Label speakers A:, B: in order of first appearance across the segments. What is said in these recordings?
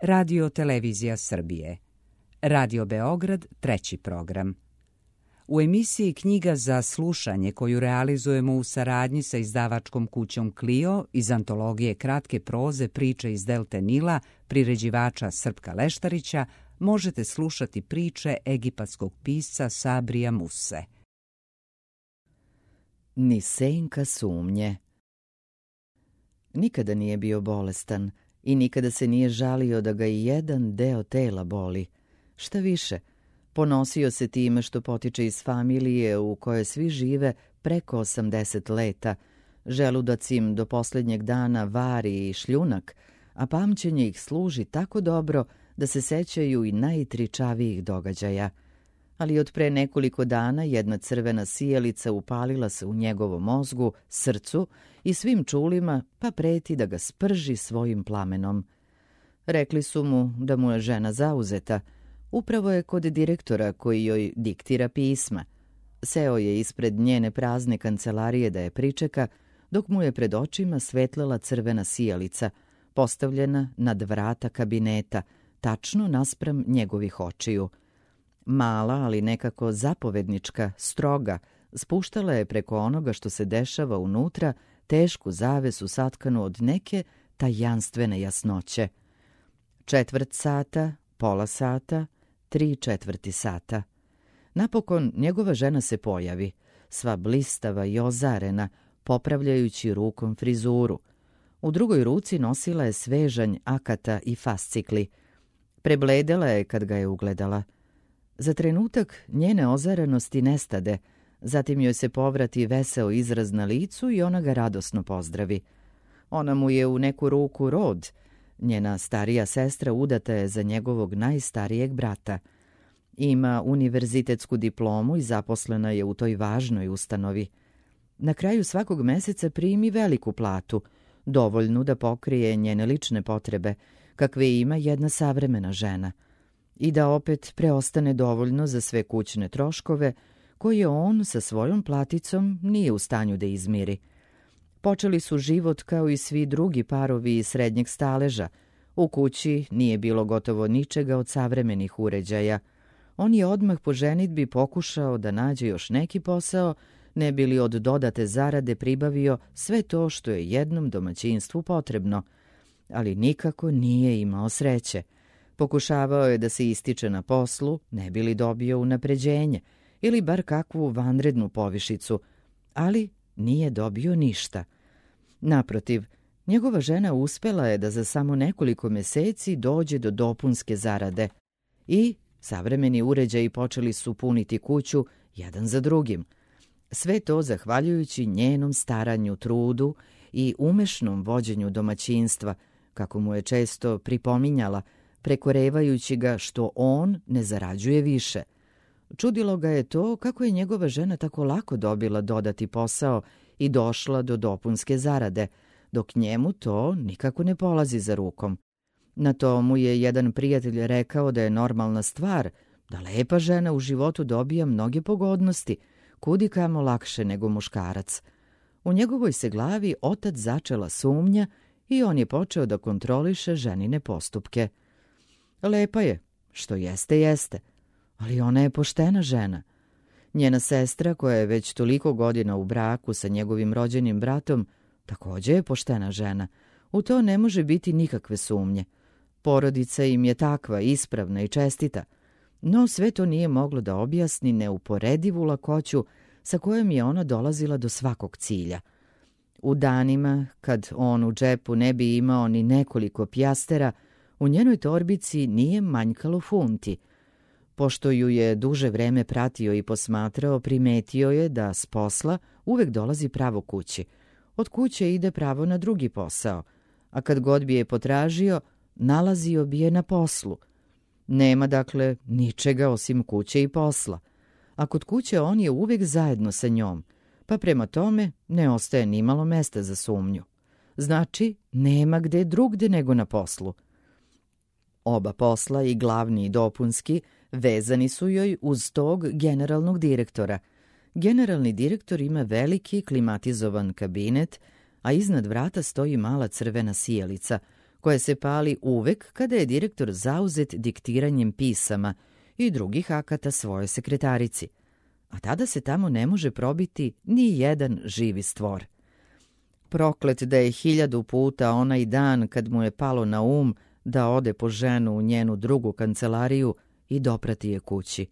A: Radio Televizija Srbije. Radio Beograd, 3. program. U emisiji Knjiga za slušanje, koju realizujemo u saradnji sa izdavačkom kućom Clio iz antologije kratke proze Priče iz Delte Nila, priređivača Srpka Leštarića, možete slušati priče egipatskog pisca Sabrija Muse.
B: Ni senka sumnje. Nikada nije bio bolestan i nikada se nije žalio da ga i jedan deo tela boli. Šta više, ponosio se time što potiče iz familije u kojoj svi žive preko 80 leta. Želudac im do posljednjeg dana vari i šljunak, a pamćenje ih služi tako dobro da se sećaju i najtričavijih događaja. Ali od pre nekoliko dana jedna crvena sijalica upalila se u njegovom mozgu, srcu i svim čulima, pa preti da ga sprži svojim plamenom. Rekli su mu da mu je žena zauzeta. Upravo je kod direktora koji joj diktira pisma. Seo je ispred njene prazne kancelarije da je pričeka, dok mu je pred očima svetlala crvena sijalica, postavljena nad vrata kabineta, tačno naspram njegovih očiju. Mala, ali nekako zapovednička, stroga, spuštala je preko onoga što se dešava unutra tešku zavesu satkanu od neke tajanstvene jasnoće. 1/4 sata, pola sata, 3/4 sata. Napokon njegova žena se pojavi, sva blistava i ozarena, popravljajući rukom frizuru. U drugoj ruci nosila je svežanj akata i fascikli. Prebledela je kad ga je ugledala. Za trenutak njene ozarenosti nestade, zatim joj se povrati veseo izraz na licu i ona ga radosno pozdravi. Ona mu je u neku ruku rod. Njena starija sestra udata je za njegovog najstarijeg brata. Ima univerzitetsku diplomu i zaposlena je u toj važnoj ustanovi. Na kraju svakog meseca primi veliku platu, dovoljnu da pokrije njene lične potrebe, kakve ima jedna savremena žena, i da opet preostane dovoljno za sve kućne troškove koje on sa svojom platicom nije u stanju da izmiri. Počeli su život kao i svi drugi parovi iz srednjeg staleža. U kući nije bilo gotovo ničega od savremenih uređaja. On je odmah po ženidbi pokušao da nađe još neki posao, ne bi li od dodate zarade pribavio sve to što je jednom domaćinstvu potrebno. Ali nikako nije imao sreće. Pokušavao je da se ističe na poslu, ne bi li dobio unapređenje ili bar kakvu vanrednu povišicu, ali nije dobio ništa. Naprotiv, njegova žena uspela je da za samo nekoliko meseci dođe do dopunske zarade i savremeni uređaji počeli su puniti kuću jedan za drugim. Sve to zahvaljujući njenom staranju, trudu i umešnom vođenju domaćinstva, kako mu je često pripominjala, prekorevajući ga što on ne zarađuje više. Čudilo ga je to kako je njegova žena tako lako dobila dodati posao i došla do dopunske zarade, dok njemu to nikako ne polazi za rukom. Na to mu je jedan prijatelj rekao da je normalna stvar, da lepa žena u životu dobija mnoge pogodnosti, kudikamo lakše nego muškarac. U njegovoj se glavi otad začela sumnja i on je počeo da kontroliše ženine postupke. Lepa je, što jeste, ali ona je poštena žena. Njena sestra, koja je već toliko godina u braku sa njegovim rođenim bratom, također je poštena žena. U to ne može biti nikakve sumnje. Porodica im je takva, ispravna i čestita. No sve to nije moglo da objasni neuporedivu lakoću sa kojom je ona dolazila do svakog cilja. U danima, kad on u džepu ne bi imao ni nekoliko pjastera, u njenoj torbici nije manjkalo funti. Pošto ju je duže vreme pratio i posmatrao, primetio je da s posla uvek dolazi pravo kući. Od kuće ide pravo na drugi posao, a kad god bi je potražio, nalazio bi je na poslu. Nema dakle ničega osim kuće i posla. A kod kuće on je uvek zajedno sa njom, pa prema tome ne ostaje nimalo mesta za sumnju. Znači, nema gde drugde nego na poslu. Oba posla, i glavni i dopunski, vezani su joj uz tog generalnog direktora. Generalni direktor ima veliki klimatizovan kabinet, a iznad vrata stoji mala crvena sijalica, koje se pali uvek kada je direktor zauzet diktiranjem pisama i drugih akata svojoj sekretarici, a tada se tamo ne može probiti ni jedan živi stvor. Proklet da je 1000 puta onaj dan kad mu je palo na um da ode po ženu u njenu drugu kancelariju i doprati je kući.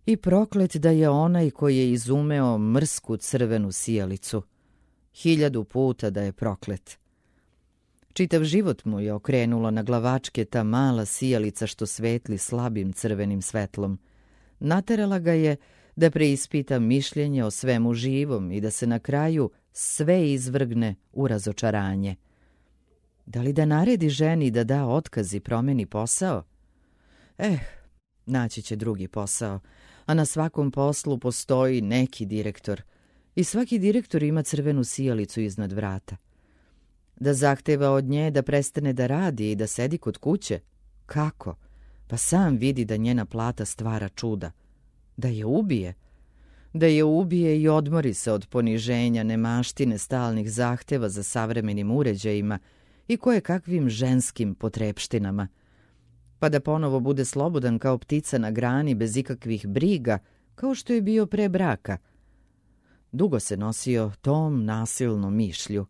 B: I proklet da je onaj koji je izumeo mrsku crvenu sijalicu. 1000 puta da je proklet. Čitav život mu je okrenulo na glavačke ta mala sijalica što svetli slabim crvenim svetlom. Naterala ga je da preispita mišljenje o svemu živom i da se na kraju sve izvrgne u razočaranje. Da li da naredi ženi da da otkaz i promeni posao? Naći će drugi posao, a na svakom poslu postoji neki direktor. I svaki direktor ima crvenu sijalicu iznad vrata. Da zahteva od nje da prestane da radi i da sedi kod kuće? Kako? Pa sam vidi da njena plata stvara čuda. Da je ubije? Da je ubije i odmori se od poniženja, nemaštine, stalnih zahteva za savremenim uređajima i koje kakvim ženskim potrepštinama. Pa da ponovo bude slobodan kao ptica na grani bez ikakvih briga, kao što je bio pre braka. Dugo se nosio tom nasilnom mišlju.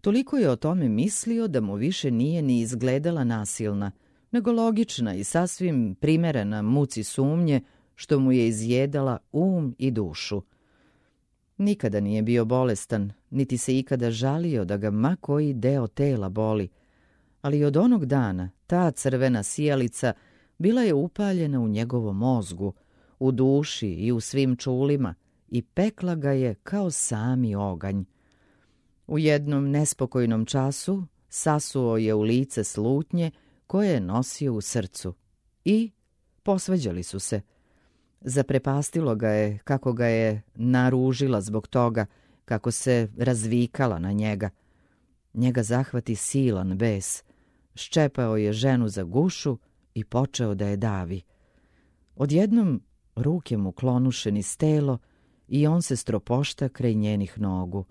B: Toliko je o tome mislio da mu više nije ni izgledala nasilna, nego logična i sasvim primerena muci sumnje što mu je izjedala i dušu. Nikada nije bio bolestan, niti se ikada žalio da ga ma koji deo tela boli, ali od onog dana ta crvena sijalica bila je upaljena u njegovom mozgu, u duši i u svim čulima i pekla ga je kao sami oganj. U jednom nespokojnom času sasuo je u lice slutnje koje je nosio u srcu i posvađali su se. Zaprepastilo ga je kako ga je naružila zbog toga, kako se razvikala na njega. Njega zahvati silan bes. Ščepao je ženu za gušu i počeo da je davi. Odjednom ruke mu klonuše niz telo i on se stropošta kraj njenih nogu.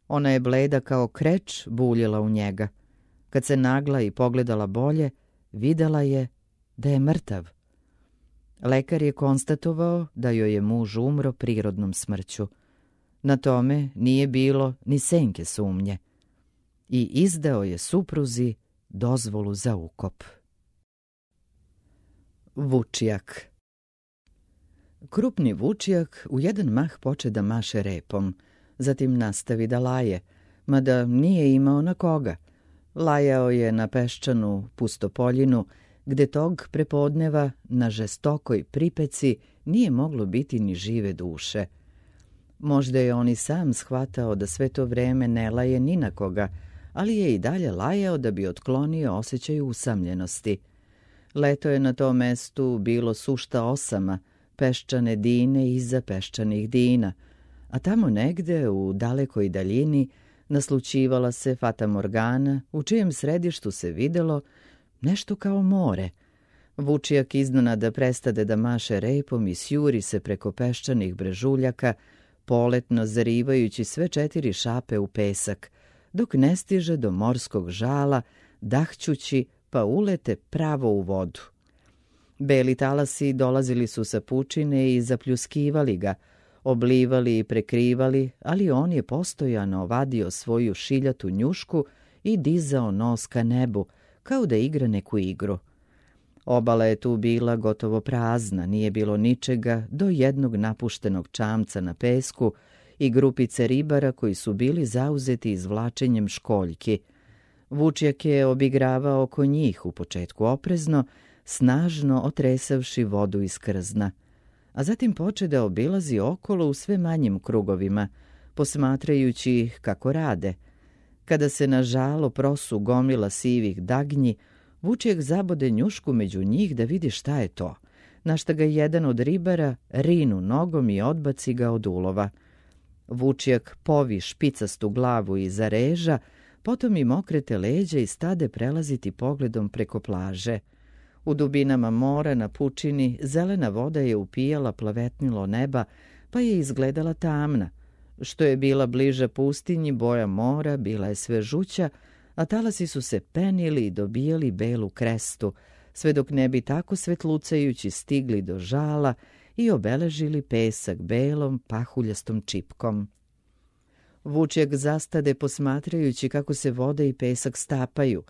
B: Ona je bleda kao kreč buljila u njega. Kad se nagla i pogledala bolje, videla je da je mrtav. Lekar je konstatovao da joj je muž umro prirodnom smrću. Na tome nije bilo ni senke sumnje. I izdao je supruzi dozvolu za ukop. Vučijak. Krupni vučijak u jedan mah poče da maše repom, zatim nastavi da laje, mada nije imao na koga. Lajao je na peščanu pustopoljinu, gde tog prepodneva na žestokoj pripeci nije moglo biti ni žive duše. Možda je on i sam shvatao da sve to vreme ne laje ni na koga, ali je i dalje lajao da bi otklonio osjećaj usamljenosti. Leto je na tom mestu bilo sušta osama, peščane dine iza peščanih dina, a tamo negde u dalekoj daljini naslućivala se Fata Morgana, u čijem središtu se videlo nešto kao more. Vučijak iznenada prestade da maše repom i sjuri se preko peščanih brežuljaka, poletno zarivajući sve 4 šape u pesak, dok ne stiže do morskog žala, dahćući pa ulete pravo u vodu. Beli talasi dolazili su sa pučine i zapljuskivali ga, oblivali i prekrivali, ali on je postojano vadio svoju šiljatu njušku i dizao nos ka nebu, kao da igra neku igru. Obala je tu bila gotovo prazna, nije bilo ničega do jednog napuštenog čamca na pesku i grupice ribara koji su bili zauzeti izvlačenjem školjki. Vučijak je obigravao oko njih u početku oprezno, snažno otresavši vodu iz krzna, a zatim poče da obilazi okolo u sve manjim krugovima, posmatrajući ih kako rade. Kada se na žalo prosu gomila sivih dagnji, Vučijak zabode njušku među njih da vidi šta je to, na šta ga jedan od ribara rinu nogom i odbaci ga od ulova. Vučijak povi špicastu glavu iza reža, potom im okrete leđa i stade prelaziti pogledom preko plaže. U dubinama mora na pučini zelena voda je upijala plavetnilo neba, pa je izgledala tamna. Što je bila bliža pustinji, boja mora bila je sve žuća, a talasi su se penili i dobijali belu krestu, sve dok ne bi tako svetlucajući stigli do žala i obeležili pesak belom pahuljastom čipkom. Vučjak zastade posmatrajući kako se voda i pesak stapaju,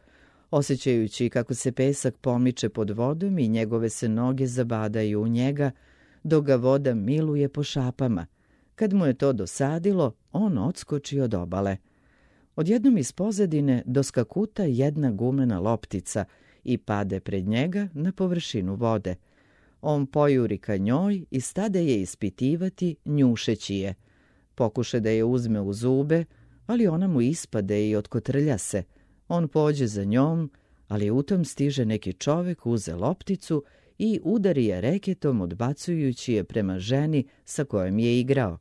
B: osjećajući kako se pesak pomiče pod vodom i njegove se noge zabadaju u njega, dok ga voda miluje po šapama. Kad mu je to dosadilo, on odskoči od obale. Odjednom iz pozadine doskakuta jedna gumena loptica i pade pred njega na površinu vode. On pojuri ka njoj i stade je ispitivati, njušeći je. Pokuša da je uzme u zube, ali ona mu ispade i otkotrlja se. On pođe za njom, ali u tom stiže neki čovek, uze lopticu i udari je reketom, odbacujući je prema ženi sa kojom je igrao.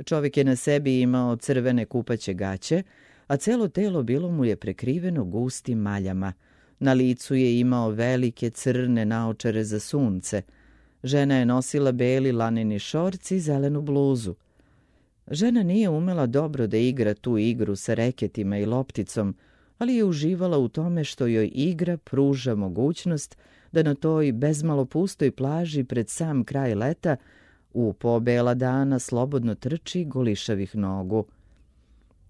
B: Čovek je na sebi imao crvene kupaće gaće, a celo telo bilo mu je prekriveno gustim maljama. Na licu je imao velike crne naočare za sunce. Žena je nosila beli laneni šorc i zelenu bluzu. Žena nije umela dobro da igra tu igru sa reketima i lopticom, ali je uživala u tome što joj igra pruža mogućnost da na toj bezmalo pustoj plaži pred sam kraj leta u pobela dana slobodno trči golišavih nogu.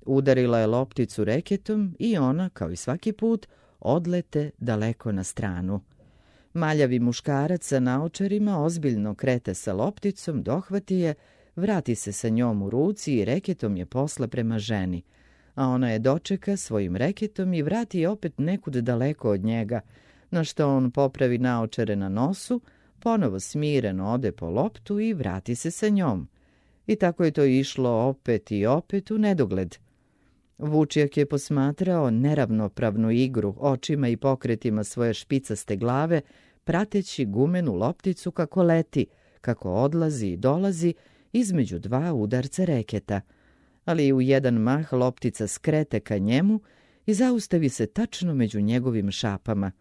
B: Udarila je lopticu reketom i ona, kao i svaki put, odlete daleko na stranu. Maljavi muškarac sa naočarima ozbiljno krete sa lopticom, dohvati je, vrati se sa njom u ruci i reketom je posla prema ženi, a ona je dočeka svojim reketom i vrati je opet nekud daleko od njega, na što on popravi naočare na nosu, ponovo smireno ode po loptu i vrati se sa njom. I tako je to išlo opet i opet u nedogled. Vučjak je posmatrao neravnopravnu igru očima i pokretima svoje špicaste glave, prateći gumenu lopticu kako leti, kako odlazi i dolazi između dva udarca reketa. Ali u jedan mah loptica skrete ka njemu i zaustavi se tačno među njegovim šapama.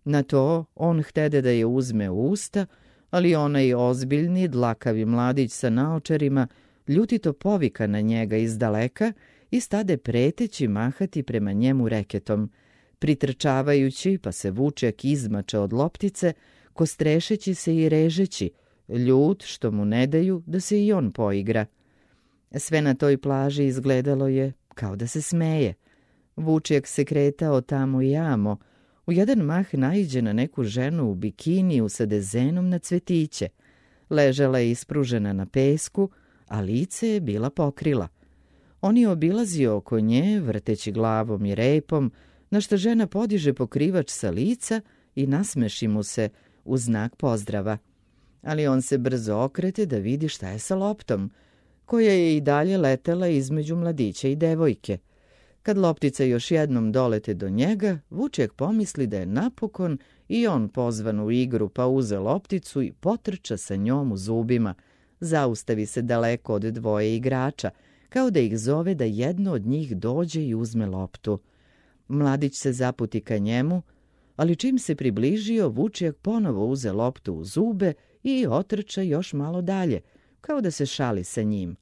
B: Na to on htede da je uzme u usta, ali onaj ozbiljni, dlakavi mladić sa naočarima ljutito povika na njega iz daleka i stade preteći mahati prema njemu reketom, pritrčavajući pa se Vučjak izmače od loptice, kostrešeći se i režeći, ljut što mu ne daju da se i on poigra. Sve na toj plaži izgledalo je kao da se smeje. Vučjak se kretao tamo i amo. U jedan mah naiđe na neku ženu u bikiniju sa dezenom na cvetiće. Ležala je ispružena na pesku, a lice je bila pokrila. On je obilazio oko nje, vrteći glavom i repom, na što žena podiže pokrivač sa lica i nasmeši mu se u znak pozdrava. Ali on se brzo okrete da vidi šta je sa loptom, koja je i dalje letela između mladića i devojke. Kad loptica još jednom dolete do njega, Vučjak pomisli da je napokon i on pozvan u igru, pa uze lopticu i potrča sa njom u zubima. Zaustavi se daleko od dvoje igrača, kao da ih zove da jedno od njih dođe i uzme loptu. Mladić se zaputi ka njemu, ali čim se približio, Vučjak ponovo uze loptu u zube i otrča još malo dalje, kao da se šali sa njim.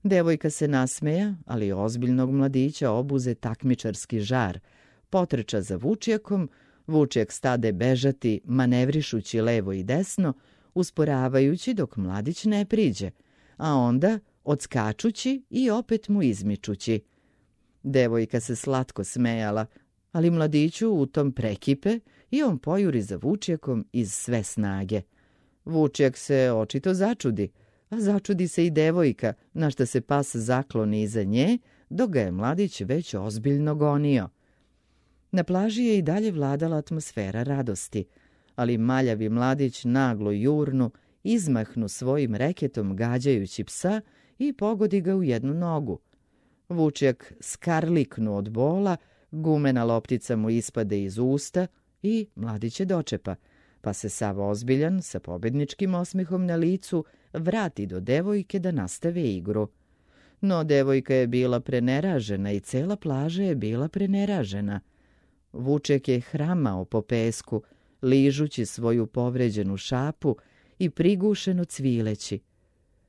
B: Devojka se nasmeja, ali ozbiljnog mladića obuze takmičarski žar. Potrča za Vučjakom, Vučjak stade bežati, manevrišući levo i desno, usporavajući dok mladić ne priđe, a onda odskačući i opet mu izmičući. Devojka se slatko smejala, ali mladiću u tom prekipe i on pojuri za Vučjakom iz sve snage. Vučjak se očito začudi, a začudi se i devojka, na što se pas zakloni iza nje, dok ga je mladić već ozbiljno gonio. Na plaži je i dalje vladala atmosfera radosti, ali maljavi mladić naglo jurnu, izmahnu svojim reketom gađajući psa i pogodi ga u jednu nogu. Vučjak skarliknu od bola, gumena loptica mu ispade iz usta i mladić je dočepa, pa se sav ozbiljan, sa pobedničkim osmehom na licu, vrati do devojke da nastave igru. No devojka je bila preneražena i cela plaža je bila preneražena. Vučjak je hramao po pesku, ližući svoju povređenu šapu i prigušeno cvileći.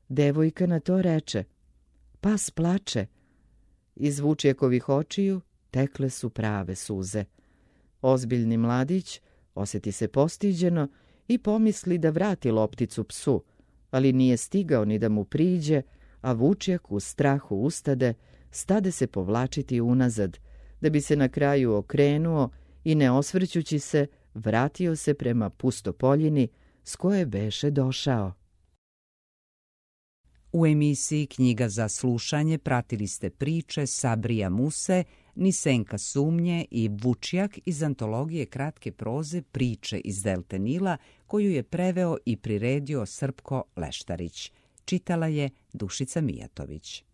B: Devojka na to reče: "Pas plače." Iz Vučjakovih očiju tekle su prave suze. Ozbiljni mladić osjeti se postiđeno i pomisli da vrati lopticu psu, ali nije stigao ni da mu priđe, a Vučjak u strahu ustade, stade se povlačiti unazad, da bi se na kraju okrenuo i ne osvrćući se, vratio se prema pustopoljini s koje beše došao.
A: U emisiji Knjiga za slušanje pratili ste priče Sabrija Muse, Nisenka Sumnje i Vučjak iz antologije kratke proze Priče iz Delte Nila, koju je preveo i priredio Srpko Leštarić. Čitala je Dušica Mijatović.